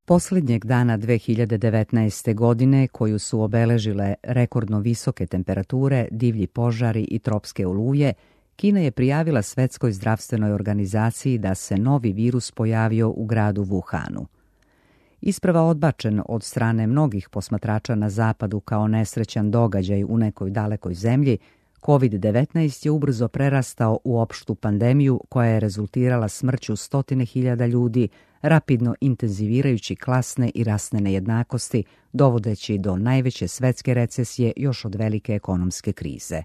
Posljednjeg dana 2019. godine, koju su obeležile rekordno visoke temperature, divlji požari i tropske oluje, Kina je prijavila Svetskoj zdravstvenoj organizaciji da se novi virus pojavio u gradu Wuhanu. Isprva odbačen od strane mnogih posmatrača na zapadu kao nesrećan događaj u nekoj dalekoj zemlji, COVID-19 je ubrzo prerastao u opštu pandemiju koja je rezultirala smrću 100.000 ljudi, rapidno intenzivirajući klasne i rasne nejednakosti, dovodeći do najveće svetske recesije još od velike ekonomske krize.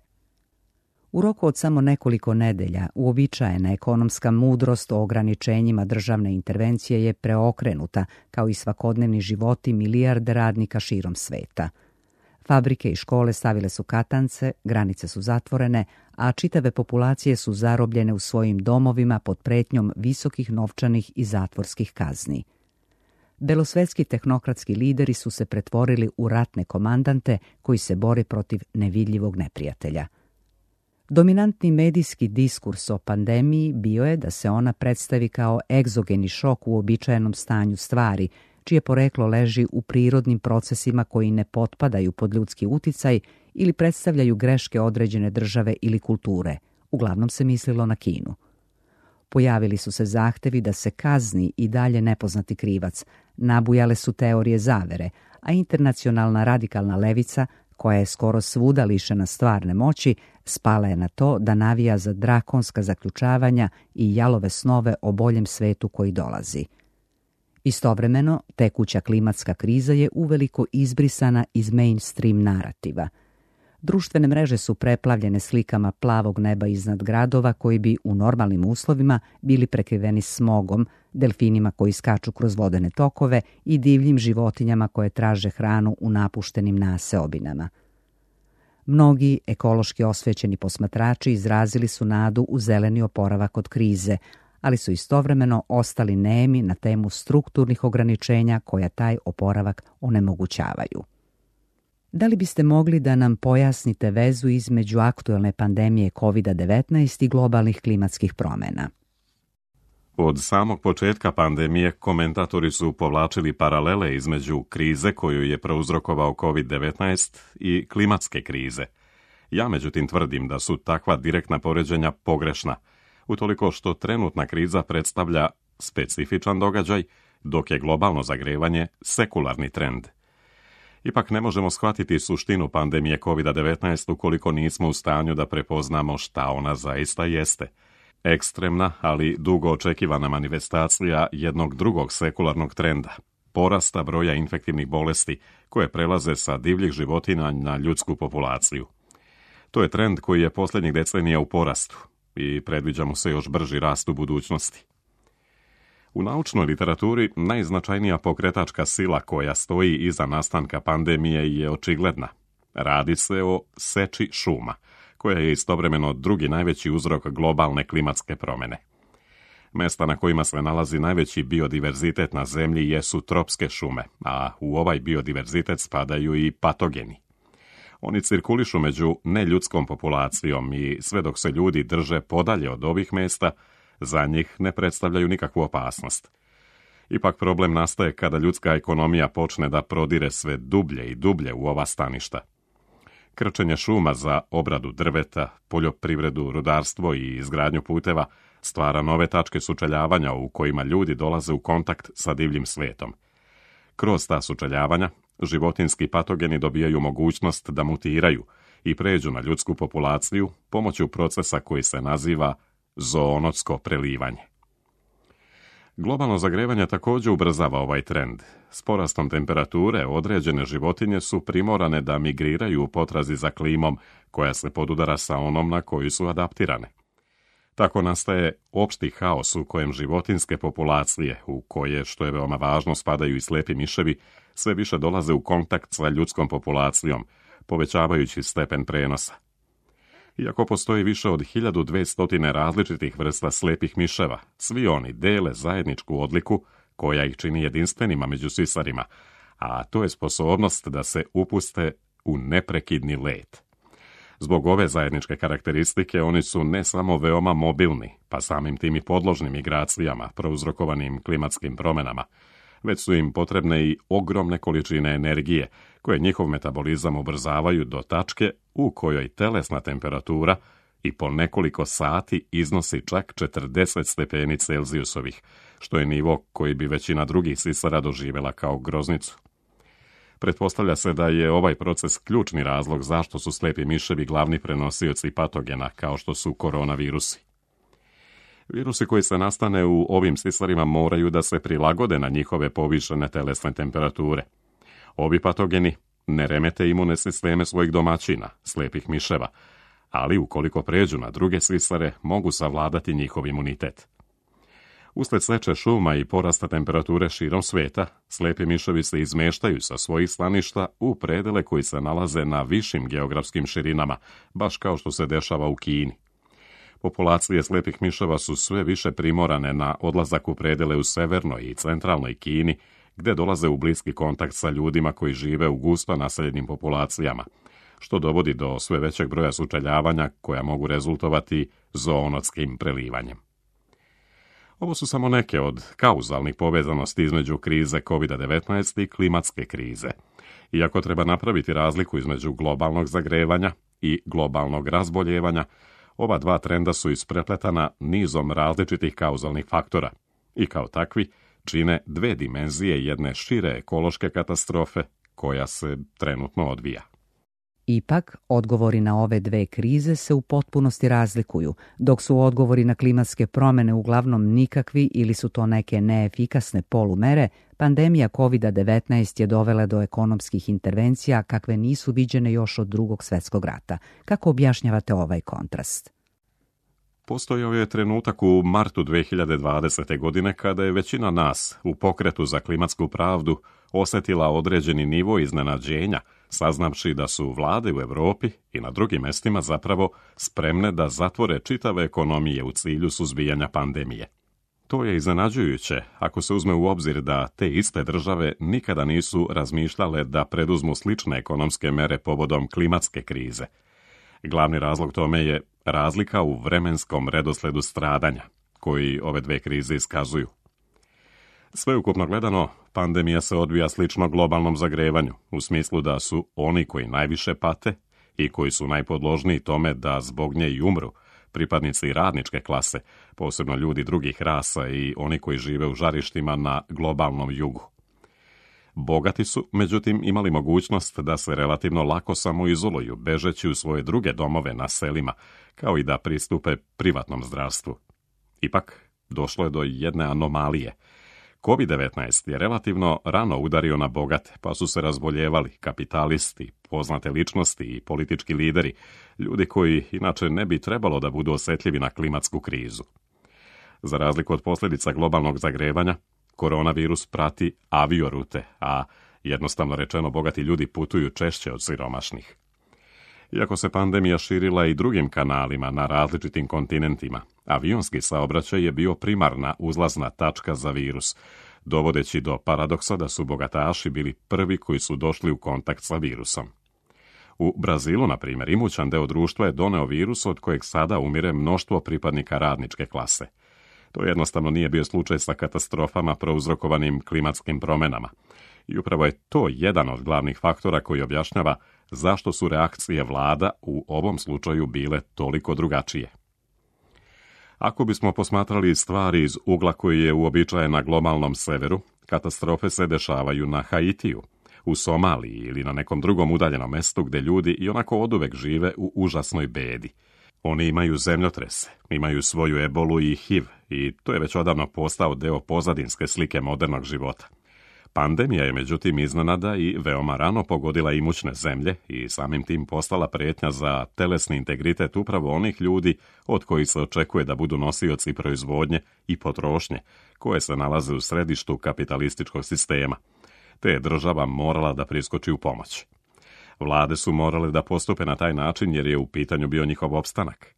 U roku od samo nekoliko nedelja uobičajena ekonomska mudrost o ograničenjima državne intervencije je preokrenuta, kao i svakodnevni životi milijarde radnika širom sveta. Fabrike i škole stavile su katance, granice su zatvorene, a čitave populacije su zarobljene u svojim domovima pod pretnjom visokih novčanih i zatvorskih kazni. Belosvetski tehnokratski lideri su se pretvorili u ratne komandante koji se bore protiv nevidljivog neprijatelja. Dominantni medijski diskurs o pandemiji bio je da se ona predstavi kao egzogeni šok u uobičajenom stanju stvari, čije poreklo leži u prirodnim procesima koji ne potpadaju pod ljudski uticaj ili predstavljaju greške određene države ili kulture. Uglavnom se mislilo na Kinu. Pojavili su se zahtevi da se kazni i dalje nepoznati krivac, nabujale su teorije zavere, a internacionalna radikalna levica, koja je skoro svuda lišena stvarne moći, spala je na to da navija za drakonska zaključavanja i jalove snove o boljem svetu koji dolazi. Istovremeno, tekuća klimatska kriza je uveliko izbrisana iz mainstream narativa. Društvene mreže su preplavljene slikama plavog neba iznad gradova koji bi u normalnim uslovima bili prekriveni smogom, delfinima koji skaču kroz vodene tokove i divljim životinjama koje traže hranu u napuštenim naseobinama. Mnogi ekološki osvećeni posmatrači izrazili su nadu u zeleni oporavak od krize, ali su istovremeno ostali nemi na temu strukturnih ograničenja koja taj oporavak onemogućavaju. Da li biste mogli da nam pojasnite vezu između aktuelne pandemije COVID-19 i globalnih klimatskih promjena? Od samog početka pandemije komentatori su povlačili paralele između krize koju je prouzrokovao COVID-19 i klimatske krize. Ja međutim tvrdim da su takva direktna poređenja pogrešna, utoliko što trenutna kriza predstavlja specifičan događaj, dok je globalno zagrevanje sekularni trend. Ipak ne možemo shvatiti suštinu pandemije COVID-19 ukoliko nismo u stanju da prepoznamo šta ona zaista jeste. Ekstremna, ali dugo očekivana manifestacija jednog drugog sekularnog trenda, porasta broja infektivnih bolesti koje prelaze sa divljih životinja na ljudsku populaciju. To je trend koji je posljednjih decenija u porastu i predviđa mu se još brži rast u budućnosti. U naučnoj literaturi najznačajnija pokretačka sila koja stoji iza nastanka pandemije je očigledna. Radi se o seči šuma, koja je istovremeno drugi najveći uzrok globalne klimatske promjene. Mesta na kojima se nalazi najveći biodiverzitet na zemlji jesu tropske šume, a u ovaj biodiverzitet spadaju i patogeni. Oni cirkulišu među neljudskom populacijom i sve dok se ljudi drže podalje od ovih mesta, za njih ne predstavljaju nikakvu opasnost. Ipak problem nastaje kada ljudska ekonomija počne da prodire sve dublje i dublje u ova staništa. Krčenje šuma za obradu drveta, poljoprivredu, rudarstvo i izgradnju puteva stvara nove tačke sučeljavanja u kojima ljudi dolaze u kontakt sa divljim svetom. Kroz ta sučeljavanja, životinjski patogeni dobijaju mogućnost da mutiraju i pređu na ljudsku populaciju pomoću procesa koji se naziva zoonotsko prelivanje. Globalno zagrevanje također ubrzava ovaj trend. S porastom temperature određene životinje su primorane da migriraju u potrazi za klimom koja se podudara sa onom na koju su adaptirane. Tako nastaje opšti haos u kojem životinjske populacije, u koje, što je veoma važno, spadaju i slepi miševi, sve više dolaze u kontakt sa ljudskom populacijom, povećavajući stepen prenosa. Iako postoji više od 1200 različitih vrsta slepih miševa, svi oni dele zajedničku odliku koja ih čini jedinstvenima među sisarima, a to je sposobnost da se upuste u neprekidni let. Zbog ove zajedničke karakteristike oni su ne samo veoma mobilni, pa samim tim i podložni migracijama prouzrokovanim klimatskim promjenama, već su im potrebne i ogromne količine energije, koje njihov metabolizam ubrzavaju do tačke u kojoj telesna temperatura i po nekoliko sati iznosi čak 40 stepeni Celzijusovih, što je nivo koji bi većina drugih sisara doživjela kao groznicu. Pretpostavlja se da je ovaj proces ključni razlog zašto su slijepi miševi glavni prenosioci patogena, kao što su koronavirusi. Virusi koji se nastane u ovim sisarima moraju da se prilagode na njihove povišene telesne temperature. Ovi patogeni ne remete imune sisteme svojih domaćina, slijepih miševa, ali ukoliko pređu na druge sisare, mogu savladati njihov imunitet. Usled seče šuma i porasta temperature širom svijeta, slijepi miševi se izmeštaju sa svojih staništa u predele koji se nalaze na višim geografskim širinama, baš kao što se dešava u Kini. Populacije slijepih miševa su sve više primorane na odlazak u predele u severnoj i centralnoj Kini, gdje dolaze u bliski kontakt sa ljudima koji žive u gusto naseljenim populacijama, što dovodi do sve većeg broja sučeljavanja koja mogu rezultovati zoonotskim prelivanjem. Ovo su samo neke od kauzalnih povezanosti između krize COVID-19 i klimatske krize. Iako treba napraviti razliku između globalnog zagrevanja i globalnog razboljevanja, ova dva trenda su isprepletana nizom različitih kauzalnih faktora i kao takvi čine dve dimenzije jedne šire ekološke katastrofe koja se trenutno odvija. Ipak, odgovori na ove dve krize se u potpunosti razlikuju, dok su odgovori na klimatske promjene uglavnom nikakvi ili su to neke neefikasne polumere, pandemija COVID-19 je dovela do ekonomskih intervencija kakve nisu viđene još od Drugog svjetskog rata. Kako objašnjavate ovaj kontrast? Postojao je trenutak u martu 2020. godine kada je većina nas u pokretu za klimatsku pravdu osjetila određeni nivo iznenađenja, saznavši da su vlade u Europi i na drugim mjestima zapravo spremne da zatvore čitave ekonomije u cilju suzbijanja pandemije. To je iznenađujuće ako se uzme u obzir da te iste države nikada nisu razmišljale da preduzmu slične ekonomske mere povodom klimatske krize. Glavni razlog tome je razlika u vremenskom redosledu stradanja, koji ove dve krize iskazuju. Sveukupno gledano, pandemija se odvija slično globalnom zagrevanju, u smislu da su oni koji najviše pate i koji su najpodložniji tome da zbog nje i umru, pripadnici radničke klase, posebno ljudi drugih rasa i oni koji žive u žarištima na globalnom jugu. Bogati su, međutim, imali mogućnost da se relativno lako samoizoluju, bežeći u svoje druge domove na selima, kao i da pristupe privatnom zdravstvu. Ipak, došlo je do jedne anomalije. COVID-19 je relativno rano udario na bogate, pa su se razboljevali kapitalisti, poznate ličnosti i politički lideri, ljudi koji inače ne bi trebalo da budu osjetljivi na klimatsku krizu. Za razliku od posljedica globalnog zagrevanja, koronavirus prati aviorute, a jednostavno rečeno bogati ljudi putuju češće od siromašnih. Iako se pandemija širila i drugim kanalima na različitim kontinentima, avionski saobraćaj je bio primarna uzlazna tačka za virus, dovodeći do paradoksa da su bogataši bili prvi koji su došli u kontakt sa virusom. U Brazilu, na primjer, imućan deo društva je doneo virus od kojeg sada umire mnoštvo pripadnika radničke klase. To jednostavno nije bio slučaj sa katastrofama prouzrokovanim klimatskim promjenama. I upravo je to jedan od glavnih faktora koji objašnjava zašto su reakcije vlada u ovom slučaju bile toliko drugačije. Ako bismo posmatrali stvari iz ugla koji je uobičajen na globalnom severu, katastrofe se dešavaju na Haitiju, u Somaliji ili na nekom drugom udaljenom mjestu gdje ljudi i onako oduvek žive u užasnoj bedi. Oni imaju zemljotrese, imaju svoju ebolu i HIV i to je već odavno postao deo pozadinske slike modernog života. Pandemija je međutim iznenada i veoma rano pogodila imućne zemlje i samim tim postala prijetnja za telesni integritet upravo onih ljudi od kojih se očekuje da budu nosioci proizvodnje i potrošnje, koje se nalaze u središtu kapitalističkog sistema, te je država morala da priskoči u pomoć. Vlade su morale da postupe na taj način jer je u pitanju bio njihov opstanak.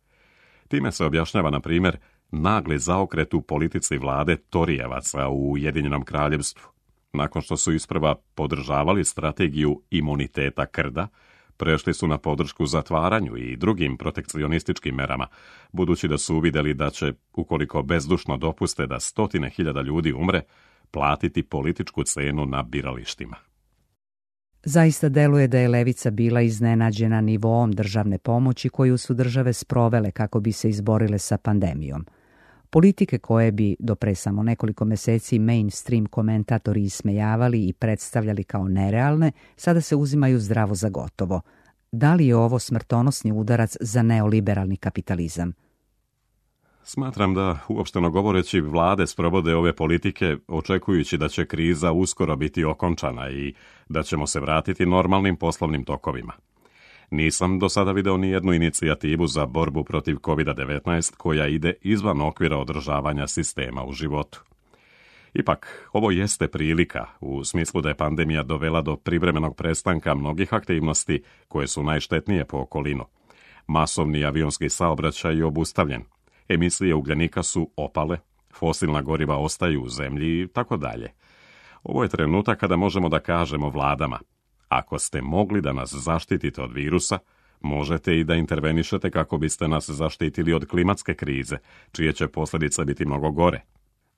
Time se objašnjava, na primjer, nagli zaokret u politici vlade Torijevaca u Ujedinjenom Kraljevstvu. Nakon što su isprva podržavali strategiju imuniteta krda, prešli su na podršku zatvaranju i drugim protekcionističkim merama, budući da su uvidjeli da će, ukoliko bezdušno dopuste da 100.000 ljudi umre, platiti političku cenu na biralištima. Zaista deluje da je levica bila iznenađena nivoom državne pomoći koju su države sprovele kako bi se izborile sa pandemijom. Politike koje bi do pre samo nekoliko meseci mainstream komentatori ismejavali i predstavljali kao nerealne, sada se uzimaju zdravo za gotovo. Da li je ovo smrtonosni udarac za neoliberalni kapitalizam? Smatram da, uopšteno govoreći, vlade sprovode ove politike očekujući da će kriza uskoro biti okončana i da ćemo se vratiti normalnim poslovnim tokovima. Nisam do sada video ni jednu inicijativu za borbu protiv COVID-19 koja ide izvan okvira održavanja sistema u životu. Ipak, ovo jeste prilika, u smislu da je pandemija dovela do privremenog prestanka mnogih aktivnosti koje su najštetnije po okolinu. Masovni avionski saobraćaj je obustavljen, emisije ugljenika su opale, fosilna goriva ostaju u zemlji i tako dalje. Ovo je trenutak kada možemo da kažemo vladama: ako ste mogli da nas zaštitite od virusa, možete i da intervenišete kako biste nas zaštitili od klimatske krize, čije će posljedice biti mnogo gore.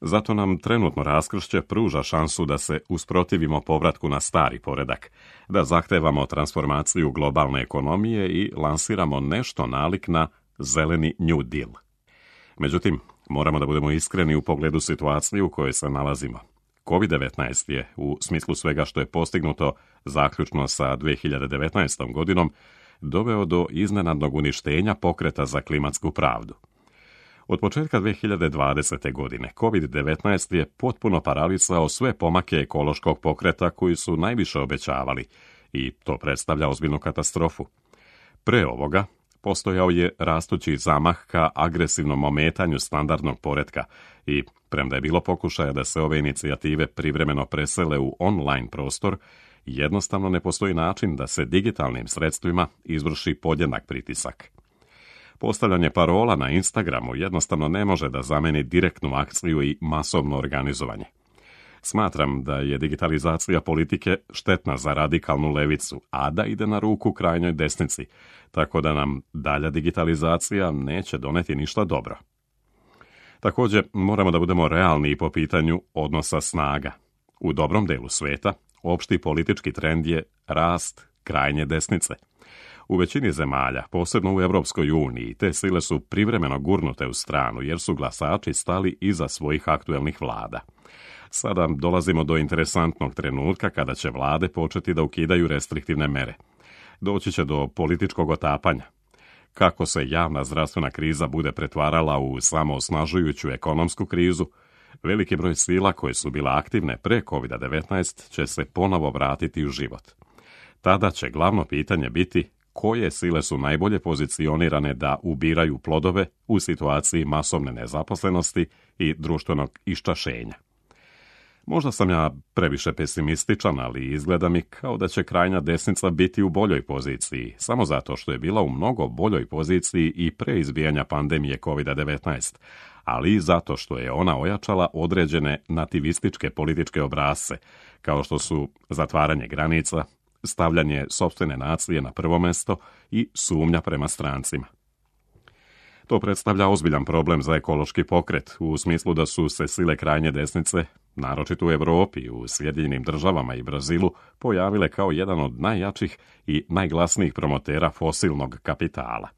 Zato nam trenutno raskršće pruža šansu da se usprotivimo povratku na stari poredak, da zahtevamo transformaciju globalne ekonomije i lansiramo nešto nalik na zeleni New Deal. Međutim, moramo da budemo iskreni u pogledu situacije u kojoj se nalazimo. COVID-19 je, u smislu svega što je postignuto zaključno sa 2019. godinom, doveo do iznenadnog uništenja pokreta za klimatsku pravdu. Od početka 2020. godine COVID-19 je potpuno paralisao sve pomake ekološkog pokreta koji su najviše obećavali i to predstavlja ozbiljnu katastrofu. Pre ovoga postojao je rastući zamah ka agresivnom ometanju standardnog poretka i, premda je bilo pokušaja da se ove inicijative privremeno presele u online prostor, jednostavno ne postoji način da se digitalnim sredstvima izvrši podjednak pritisak. Postavljanje parola na Instagramu jednostavno ne može da zameni direktnu akciju i masovno organizovanje. Smatram da je digitalizacija politike štetna za radikalnu levicu, a da ide na ruku krajnjoj desnici, tako da nam dalja digitalizacija neće doneti ništa dobro. Također, moramo da budemo realni i po pitanju odnosa snaga. U dobrom delu sveta, opšti politički trend je rast krajnje desnice. U većini zemalja, posebno u Europskoj uniji, te sile su privremeno gurnute u stranu jer su glasači stali iza svojih aktuelnih vlada. Sada dolazimo do interesantnog trenutka kada će vlade početi da ukidaju restriktivne mere. Doći će do političkog otapanja. Kako se javna zdravstvena kriza bude pretvarala u samoosnažujuću ekonomsku krizu, veliki broj sila koje su bile aktivne pre COVID-19 će se ponovo vratiti u život. Tada će glavno pitanje biti koje sile su najbolje pozicionirane da ubiraju plodove u situaciji masovne nezaposlenosti i društvenog iščašenja. Možda sam ja previše pesimističan, ali izgleda mi kao da će krajnja desnica biti u boljoj poziciji, samo zato što je bila u mnogo boljoj poziciji i pre izbijanja pandemije COVID-19, ali i zato što je ona ojačala određene nativističke političke obrasce, kao što su zatvaranje granica, stavljanje sopstvene nacije na prvo mesto i sumnja prema strancima. To predstavlja ozbiljan problem za ekološki pokret, u smislu da su se sile krajnje desnice, naročito u Europi, u Sjedinjenim Državama i Brazilu, pojavile kao jedan od najjačih i najglasnijih promotera fosilnog kapitala.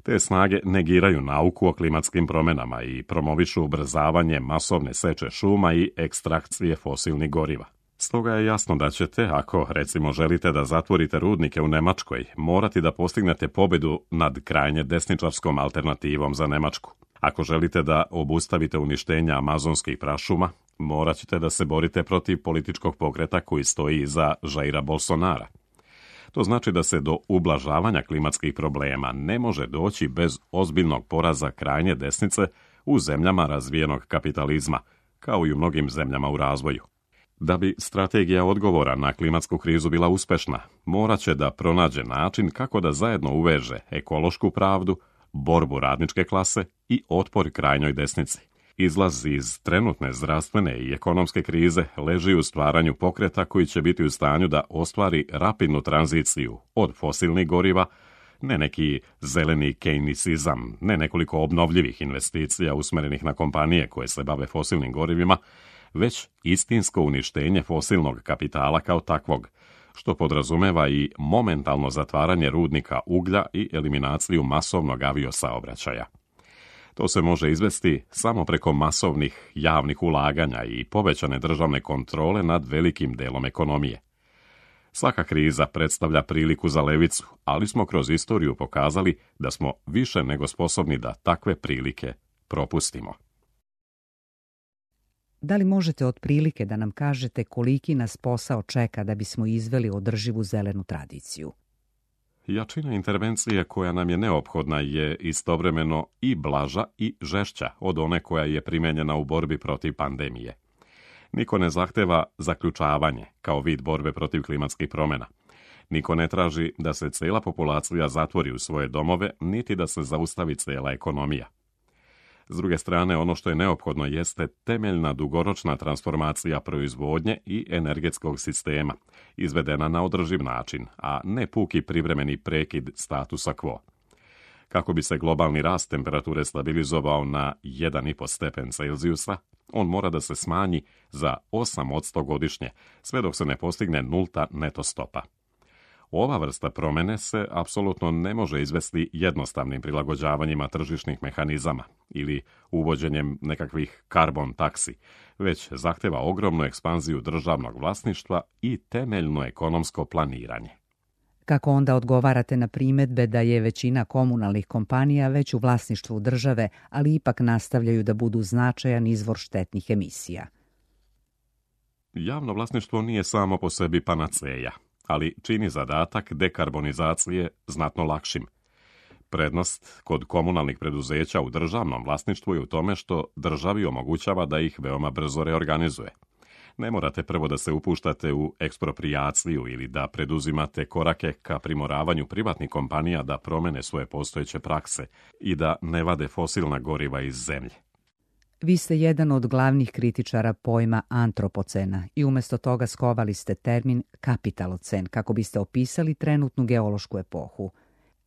Te snage negiraju nauku o klimatskim promjenama i promovišu ubrzavanje masovne seče šuma i ekstrakcije fosilnih goriva. Stoga je jasno da ćete, ako recimo želite da zatvorite rudnike u Nemačkoj, morati da postignete pobjedu nad krajnje desničarskom alternativom za Nemačku. Ako želite da obustavite uništenje amazonskih prašuma, morat ćete da se borite protiv političkog pokreta koji stoji iza Jaira Bolsonara. To znači da se do ublažavanja klimatskih problema ne može doći bez ozbiljnog poraza krajnje desnice u zemljama razvijenog kapitalizma, kao i u mnogim zemljama u razvoju. Da bi strategija odgovora na klimatsku krizu bila uspešna, morat će da pronađe način kako da zajedno uveže ekološku pravdu, borbu radničke klase i otpor krajnjoj desnici. Izlaz iz trenutne zdravstvene i ekonomske krize leži u stvaranju pokreta koji će biti u stanju da ostvari rapidnu tranziciju od fosilnih goriva, ne neki zeleni keynesizam, ne nekoliko obnovljivih investicija usmerenih na kompanije koje se bave fosilnim gorivima, već istinsko uništenje fosilnog kapitala kao takvog, što podrazumeva i momentalno zatvaranje rudnika uglja i eliminaciju masovnog aviosaobraćaja. To se može izvesti samo preko masovnih javnih ulaganja i povećane državne kontrole nad velikim delom ekonomije. Svaka kriza predstavlja priliku za levicu, ali smo kroz istoriju pokazali da smo više nego sposobni da takve prilike propustimo. Da li možete otprilike da nam kažete koliki nas posao čeka da bismo izveli održivu zelenu tradiciju? Jačina intervencije koja nam je neophodna je istovremeno i blaža i žešća od one koja je primenjena u borbi protiv pandemije. Niko ne zahteva zaključavanje kao vid borbe protiv klimatskih promjena. Niko ne traži da se cela populacija zatvori u svoje domove, niti da se zaustavi cela ekonomija. S druge strane, ono što je neophodno jeste temeljna dugoročna transformacija proizvodnje i energetskog sistema, izvedena na održiv način, a ne puki privremeni prekid statusa quo. Kako bi se globalni rast temperature stabilizovao na 1,5 stepen Celzijusa, on mora da se smanji za 8% godišnje, sve dok se ne postigne nulta neto stopa. Ova vrsta promjene se apsolutno ne može izvesti jednostavnim prilagođavanjima tržišnih mehanizama ili uvođenjem nekakvih karbon taksi, već zahteva ogromnu ekspanziju državnog vlasništva i temeljno ekonomsko planiranje. Kako onda odgovarate na primjedbe da je većina komunalnih kompanija već u vlasništvu države, ali ipak nastavljaju da budu značajan izvor štetnih emisija? Javno vlasništvo nije samo po sebi panaceja, ali čini zadatak dekarbonizacije znatno lakšim. Prednost kod komunalnih preduzeća u državnom vlasništvu je u tome što državi omogućava da ih veoma brzo reorganizuje. Ne morate prvo da se upuštate u eksproprijaciju ili da preduzimate korake ka primoravanju privatnih kompanija da promene svoje postojeće prakse i da ne vade fosilna goriva iz zemlje. Vi ste jedan od glavnih kritičara pojma antropocena i umjesto toga skovali ste termin kapitalocen kako biste opisali trenutnu geološku epohu.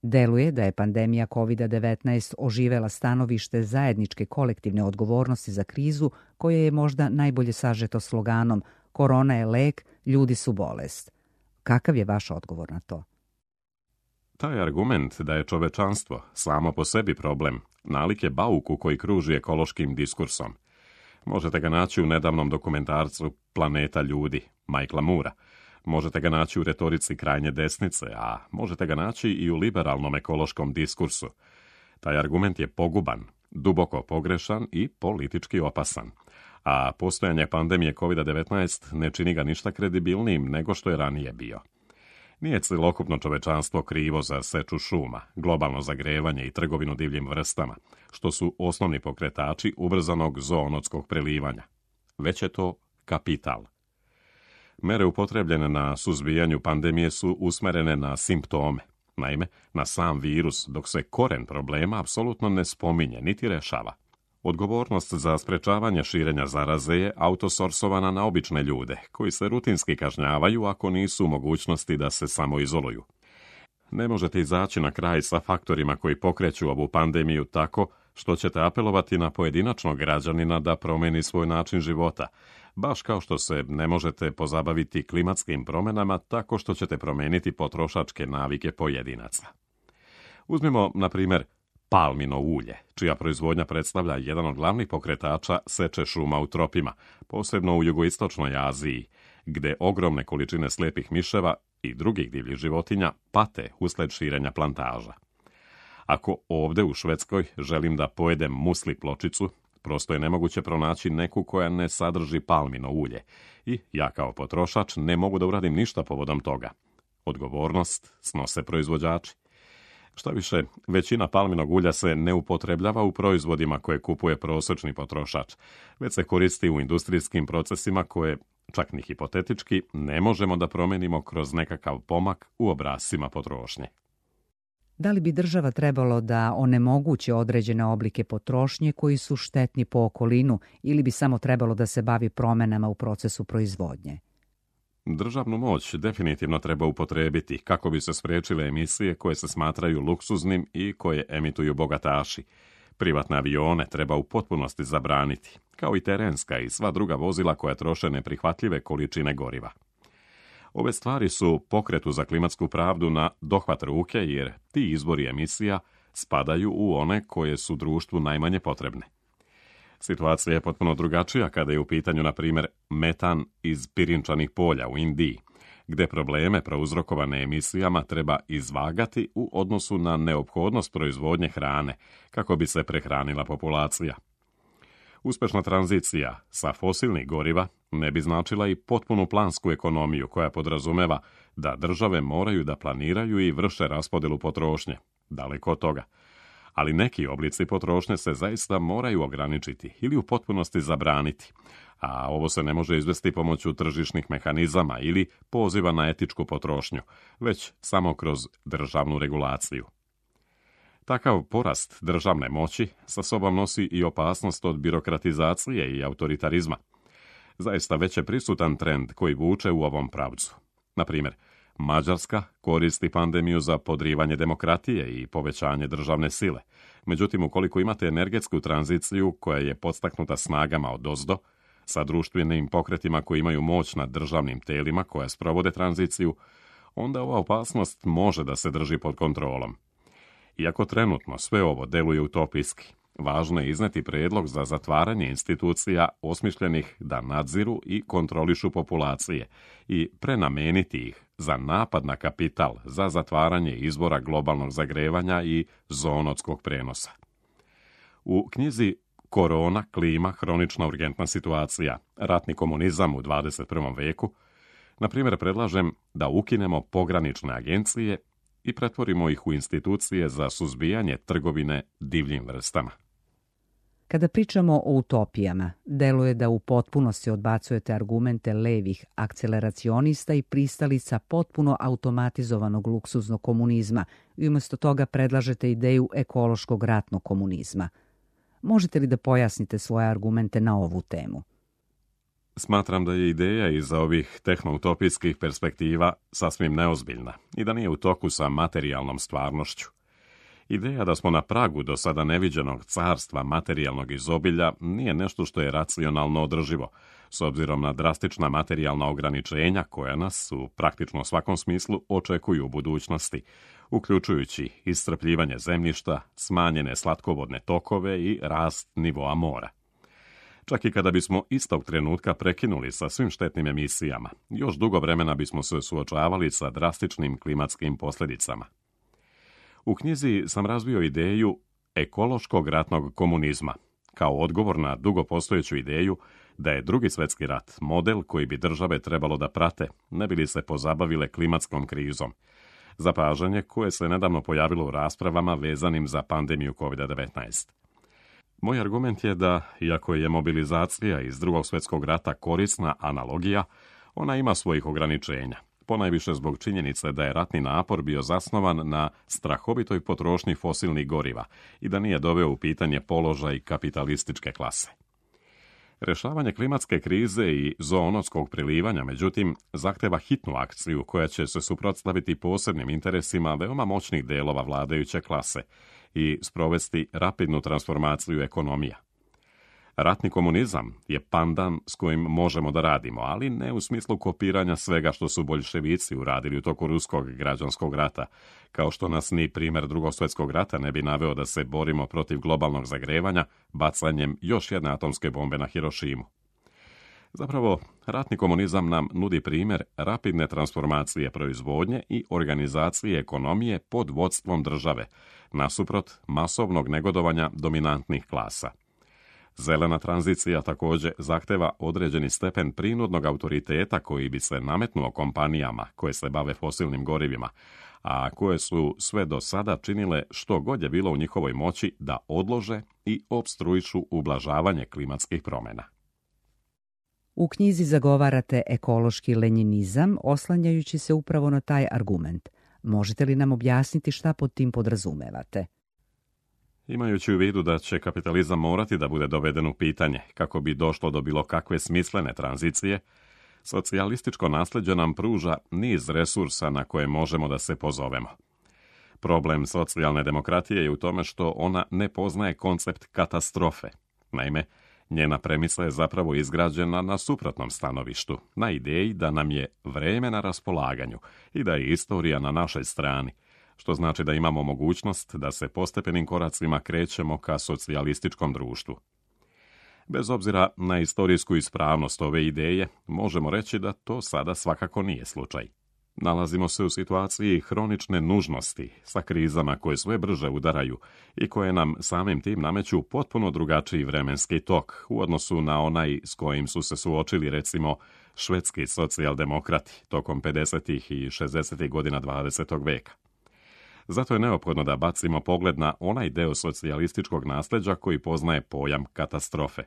Deluje da je pandemija COVID-19 oživela stanovište zajedničke kolektivne odgovornosti za krizu koja je možda najbolje sažeto sloganom "Korona je lek, ljudi su bolest". Kakav je vaš odgovor na to? Taj argument da je čovečanstvo samo po sebi problem nalik je bauku koji kruži ekološkim diskursom. Možete ga naći u nedavnom dokumentarcu Planeta ljudi, Michaela Moora. Možete ga naći u retorici krajnje desnice, a možete ga naći i u liberalnom ekološkom diskursu. Taj argument je poguban, duboko pogrešan i politički opasan. A postojanje pandemije COVID-19 ne čini ga ništa kredibilnijim nego što je ranije bio. Nije celokupno čovečanstvo krivo za seču šuma, globalno zagrevanje i trgovinu divljim vrstama, što su osnovni pokretači ubrzanog zoonotskog prelivanja. Već je to kapital. Mere upotrebljene na suzbijanju pandemije su usmerene na simptome, naime na sam virus, dok se koren problema apsolutno ne spominje niti rešava. Odgovornost za sprečavanje širenja zaraze je autosorsovana na obične ljude, koji se rutinski kažnjavaju ako nisu u mogućnosti da se samoizoluju. Ne možete izaći na kraj sa faktorima koji pokreću ovu pandemiju tako što ćete apelovati na pojedinačnog građanina da promeni svoj način života, baš kao što se ne možete pozabaviti klimatskim promjenama tako što ćete promeniti potrošačke navike pojedinaca. Uzmimo, na primjer, palmino ulje, čija proizvodnja predstavlja jedan od glavnih pokretača seče šuma u tropima, posebno u jugoistočnoj Aziji, gde ogromne količine slijepih miševa i drugih divljih životinja pate usled širenja plantaža. Ako ovde u Švedskoj želim da pojedem musli pločicu, prosto je nemoguće pronaći neku koja ne sadrži palmino ulje i ja kao potrošač ne mogu da uradim ništa povodom toga. Odgovornost snose proizvođači. Šta više, većina palminog ulja se ne upotrebljava u proizvodima koje kupuje prosječni potrošač, već se koristi u industrijskim procesima koje, čak ni hipotetički, ne možemo da promenimo kroz nekakav pomak u obrascima potrošnje. Da li bi država trebalo da onemogući određene oblike potrošnje koji su štetni po okolinu ili bi samo trebalo da se bavi promenama u procesu proizvodnje? Državnu moć definitivno treba upotrebiti kako bi se spriječile emisije koje se smatraju luksuznim i koje emituju bogataši, Privatne avione treba u potpunosti zabraniti, kao i terenska i sva druga vozila koja troše neprihvatljive količine goriva. Ove stvari su pokretu za klimatsku pravdu na dohvat ruke jer ti izvori emisija spadaju u one koje su društvu najmanje potrebne. Situacija je potpuno drugačija kada je u pitanju, na primjer, metan iz pirinčanih polja u Indiji, gde probleme prouzrokovane emisijama treba izvagati u odnosu na neophodnost proizvodnje hrane kako bi se prehranila populacija. Uspešna tranzicija sa fosilnih goriva ne bi značila i potpunu plansku ekonomiju koja podrazumeva da države moraju da planiraju i vrše raspodelu potrošnje. Daleko od toga. Ali neki oblici potrošnje se zaista moraju ograničiti ili u potpunosti zabraniti, a ovo se ne može izvesti pomoću tržišnih mehanizama ili poziva na etičku potrošnju, već samo kroz državnu regulaciju. Takav porast državne moći sa sobom nosi i opasnost od birokratizacije i autoritarizma. Zaista već je prisutan trend koji vuče u ovom pravcu. Na primjer, Mađarska koristi pandemiju za podrivanje demokratije i povećanje državne sile. Međutim, ukoliko imate energetsku tranziciju koja je podstaknuta snagama odozdo, sa društvenim pokretima koji imaju moć nad državnim telima koja sprovode tranziciju, onda ova opasnost može da se drži pod kontrolom. Iako trenutno sve ovo deluje utopijski, važno je izneti predlog za zatvaranje institucija osmišljenih da nadziru i kontrolišu populacije i prenameniti ih za napad na kapital, za zatvaranje izvora globalnog zagrevanja i zoonotskog prenosa. U knjizi Korona, klima, hronična urgentna situacija, ratni komunizam u 21. veku, na primjer predlažem da ukinemo pogranične agencije i pretvorimo ih u institucije za suzbijanje trgovine divljim vrstama. Kada pričamo o utopijama, deluje da u potpunosti odbacujete argumente levih akceleracionista i pristalica potpuno automatizovanog luksuznog komunizma i umjesto toga predlažete ideju ekološkog ratnog komunizma. Možete li da pojasnite svoje argumente na ovu temu? Smatram da je ideja iza ovih tehnoutopijskih perspektiva sasvim neozbiljna i da nije u toku sa materijalnom stvarnošću. Ideja da smo na pragu do sada neviđenog carstva materijalnog izobilja nije nešto što je racionalno održivo, s obzirom na drastična materijalna ograničenja koja nas u praktično svakom smislu očekuju u budućnosti, uključujući iscrpljivanje zemljišta, smanjene slatkovodne tokove i rast nivoa mora. Čak i kada bismo istog trenutka prekinuli sa svim štetnim emisijama, još dugo vremena bismo se suočavali sa drastičnim klimatskim posljedicama. U knjizi sam razvio ideju ekološkog ratnog komunizma, kao odgovor na dugo postojeću ideju da je Drugi svjetski rat model koji bi države trebalo da prate, ne bi li se pozabavile klimatskom krizom, zapažanje koje se nedavno pojavilo u raspravama vezanim za pandemiju COVID-19. Moj argument je da, iako je mobilizacija iz Drugog svjetskog rata korisna analogija, ona ima svojih ograničenja, ponajviše zbog činjenice da je ratni napor bio zasnovan na strahovitoj potrošnji fosilnih goriva i da nije doveo u pitanje položaj kapitalističke klase. Rešavanje klimatske krize i zoonotskog prilivanja, međutim, zahteva hitnu akciju koja će se suprotstaviti posebnim interesima veoma moćnih delova vladajuće klase i sprovesti rapidnu transformaciju ekonomija. Ratni komunizam je pandan s kojim možemo da radimo, ali ne u smislu kopiranja svega što su boljševici uradili u toku ruskog građanskog rata, kao što nas ni primjer Drugog svjetskog rata ne bi naveo da se borimo protiv globalnog zagrevanja bacanjem još jedne atomske bombe na Hirošimu. Zapravo, ratni komunizam nam nudi primjer rapidne transformacije proizvodnje i organizacije ekonomije pod vodstvom države, nasuprot masovnog negodovanja dominantnih klasa. Zelena tranzicija također zahteva određeni stepen prinudnog autoriteta koji bi se nametnuo kompanijama koje se bave fosilnim gorivima, a koje su sve do sada činile što god je bilo u njihovoj moći da odlože i opstruišu ublažavanje klimatskih promjena. U knjizi zagovarate ekološki lenjinizam, oslanjajući se upravo na taj argument. Možete li nam objasniti šta pod tim podrazumevate? Imajući u vidu da će kapitalizam morati da bude doveden u pitanje kako bi došlo do bilo kakve smislene tranzicije, socijalističko nasljeđe nam pruža niz resursa na koje možemo da se pozovemo. Problem socijalne demokratije je u tome što ona ne poznaje koncept katastrofe. Naime, njena premisa je zapravo izgrađena na suprotnom stanovištu, na ideji da nam je vreme na raspolaganju i da je istorija na našoj strani, što znači da imamo mogućnost da se postepenim koracima krećemo ka socijalističkom društvu. Bez obzira na istorijsku ispravnost ove ideje, možemo reći da to sada svakako nije slučaj. Nalazimo se u situaciji hronične nužnosti sa krizama koje sve brže udaraju i koje nam samim tim nameću potpuno drugačiji vremenski tok u odnosu na onaj s kojim su se suočili recimo švedski socijaldemokrati tokom 50. i 60. godina 20. veka. Zato je neophodno da bacimo pogled na onaj deo socijalističkog nasljeđa koji poznaje pojam katastrofe.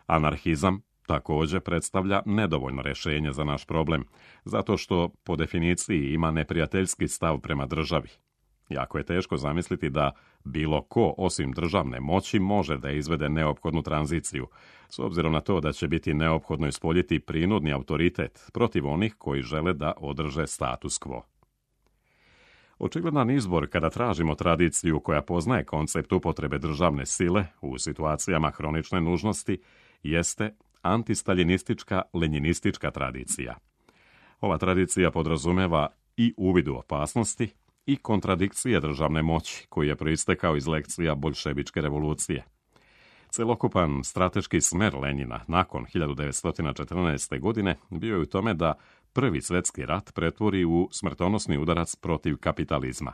Anarhizam također predstavlja nedovoljno rješenje za naš problem, zato što po definiciji ima neprijateljski stav prema državi. Jako je teško zamisliti da bilo ko osim državne moći može da izvede neophodnu tranziciju, s obzirom na to da će biti neophodno ispoljiti prinudni autoritet protiv onih koji žele da održe status quo. Očigledan izbor kada tražimo tradiciju koja poznaje koncept upotrebe državne sile u situacijama hronične nužnosti jeste antistaljinistička lenjinistička tradicija. Ova tradicija podrazumeva i uvid u opasnosti i kontradikcije državne moći koji je proistekao iz lekcija boljševičke revolucije. Celokupan strateški smer Lenjina nakon 1914. godine bio je u tome da Prvi svjetski rat pretvori u smrtonosni udarac protiv kapitalizma.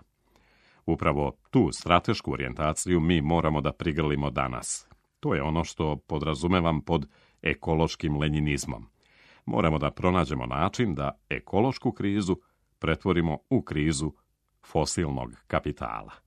Upravo tu stratešku orijentaciju mi moramo da prigrlimo danas. To je ono što podrazumevam pod ekološkim lenjinizmom. Moramo da pronađemo način da ekološku krizu pretvorimo u krizu fosilnog kapitala.